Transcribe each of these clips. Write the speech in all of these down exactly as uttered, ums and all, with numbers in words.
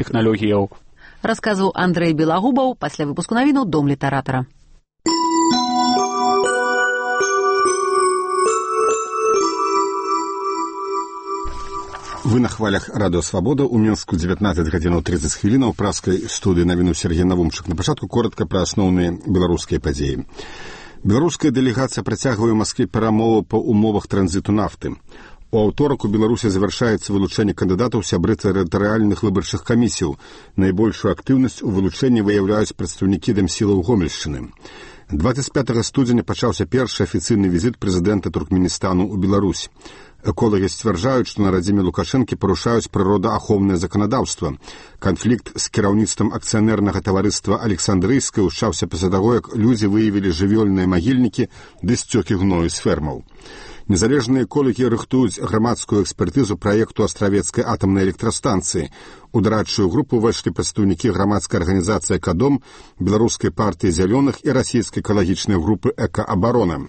тэхналогіяў. Расказваў Андрэй Белагубаў пасля выпуску навінаў Дом літаратара. Вы на хвалях радыё «Свабода». У Мінску дзевятнаццаць гадзінаў трыццаць хвілінаў. Праскай студыі навіну Сергей Навумчык. На пачатку коротка пра асноўныя беларускія падзеі. Беларуская дэлегацыя працягвае ў Маскве перамовы па умовах транзіту нафты. У аўторак у Беларусі завяршаецца вылучэнне кандыдатаў сябры тэрытарыяльных выбарчых камісіяў. Найбольшую актыўнасць у вылучэнні выяўляюць прадстаўнікі дэмсілаў Гомельшчыны. дваццаць пятага студзеня пачаўся першы афіцыйны візіт прэзідэнта Туркменістану ў Беларусь. Эколагі сцвярджаюць, што на радзіме Лукашэнкі парушаюць прыродаахоўнае заканадаўства. Канфлікт з кіраўніцтвам акцыянернага таварыства Александрыйскай ушчаўся пасля таго, як людзі выявілі жывёльныя магільнікі ды сцёкі гною з фермаў. Незалежныя эколагі рыхтуюць грамадскую экспертызу праекту астравецкай атамнай электрастанцыі. У дарадчую групу ўвайшлі прадстаўнікі грамадскай арганізацыі «Экадом», беларускай партыі зялёных і расійскай экалагічнай групы «Экаабарона».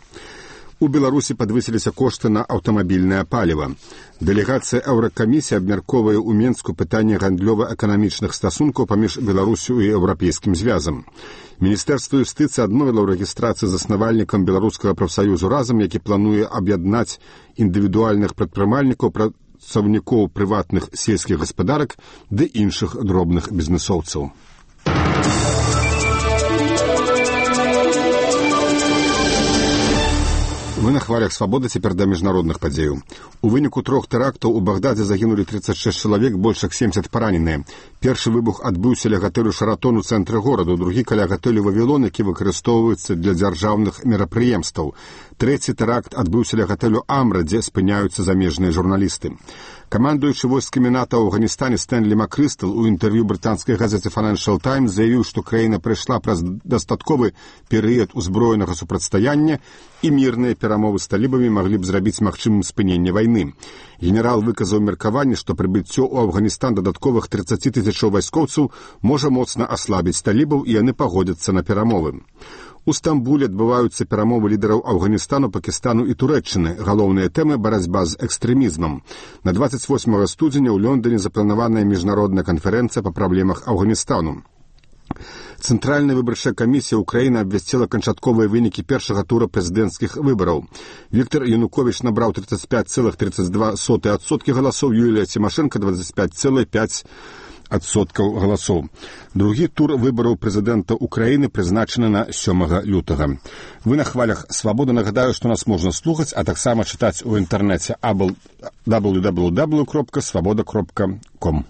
У Беларусі падвысіліся кошты на аўтамабільнае паліва. Дэлегацыя Еўракамісіі абмяркоўвае ў Менску пытанне гандлёва-эканамічных стасункаў паміж Беларусю і Еўрапейскім звязам. Міністэрства юстыцыі адмовіла ў рэгістрацыі заснавальнікам беларускага прафсаюзу «Разам», які плануе аб'яднаць індывідуальных прадпрымальнікаў, працаўнікоў прыватных сельскіх гаспадарак ды іншых дробных бізнэсоўцаў. Вы на хвалях «Свабоды», цяпер да міжнародных падзеяў. У выніку трох тэрактаў у Багдадзе загінулі трыццаць шэсць чалавек, больш як семдзесят параненыя. Першы выбух адбыўся ля гатэлю «Шаратон» у цэнтры гораду, другі каля гатэлю «Вавілон», які выкарыстоўваецца для дзяржаўных мерапрыемстваў. Трэці тэракт адбыўся ля гатэлю «Амра», дзе спыняюцца замежныя журналісты. Камандуючы войскамі НАТО ў Афганістане Стэнлі Макрыстал у інтэрв'ю брытанскай газеце «Financial Times» заявіў, што краіна прайшла праз дастатковы перыяд узброенага супрацьстаяння і мірныя перамовы з талібамі маглі б зрабіць магчымым спыненне вайны. Генерал выказаў меркаванне, што прыбыццё ў Афганістан дадатковых трыццаць тысячаў вайскоўцаў можа моцна аслабіць талібаў, і яны пагодзяцца на перамовы. У Стамбуле адбываюцца перамовы лідараў Афганістану, Пакістану і Турэччыны. Галоўныя тэмы – барацьба з экстрэмізмам. На дваццаць восьмага студзеня ў Лондоне запланаваная міжнародная канферэнцыя па праблемах Афганістану. Цэнтральная выбарчая камісія ўкраіны абвясціла канчатковыя вынікі першага тура прэзідэнцкіх выбараў. Віктор Януковіч набраў трыццаць пяць цэлых трыццаць два сотых адсоткі галасоў, Юлія Цімашэнка дваццаць пяць цэлых пяць адсоткаў галасоў. Другі тур выбараў прэзідэнта ўкраіны прызначаны на сёмага лютага. Вы на хвалях «Свабоды». Нагадаю, што нас можна слухаць, а таксама чытаць у інтэрнэце дабл ю дабл ю дабл ю крапка свабода крапка ком.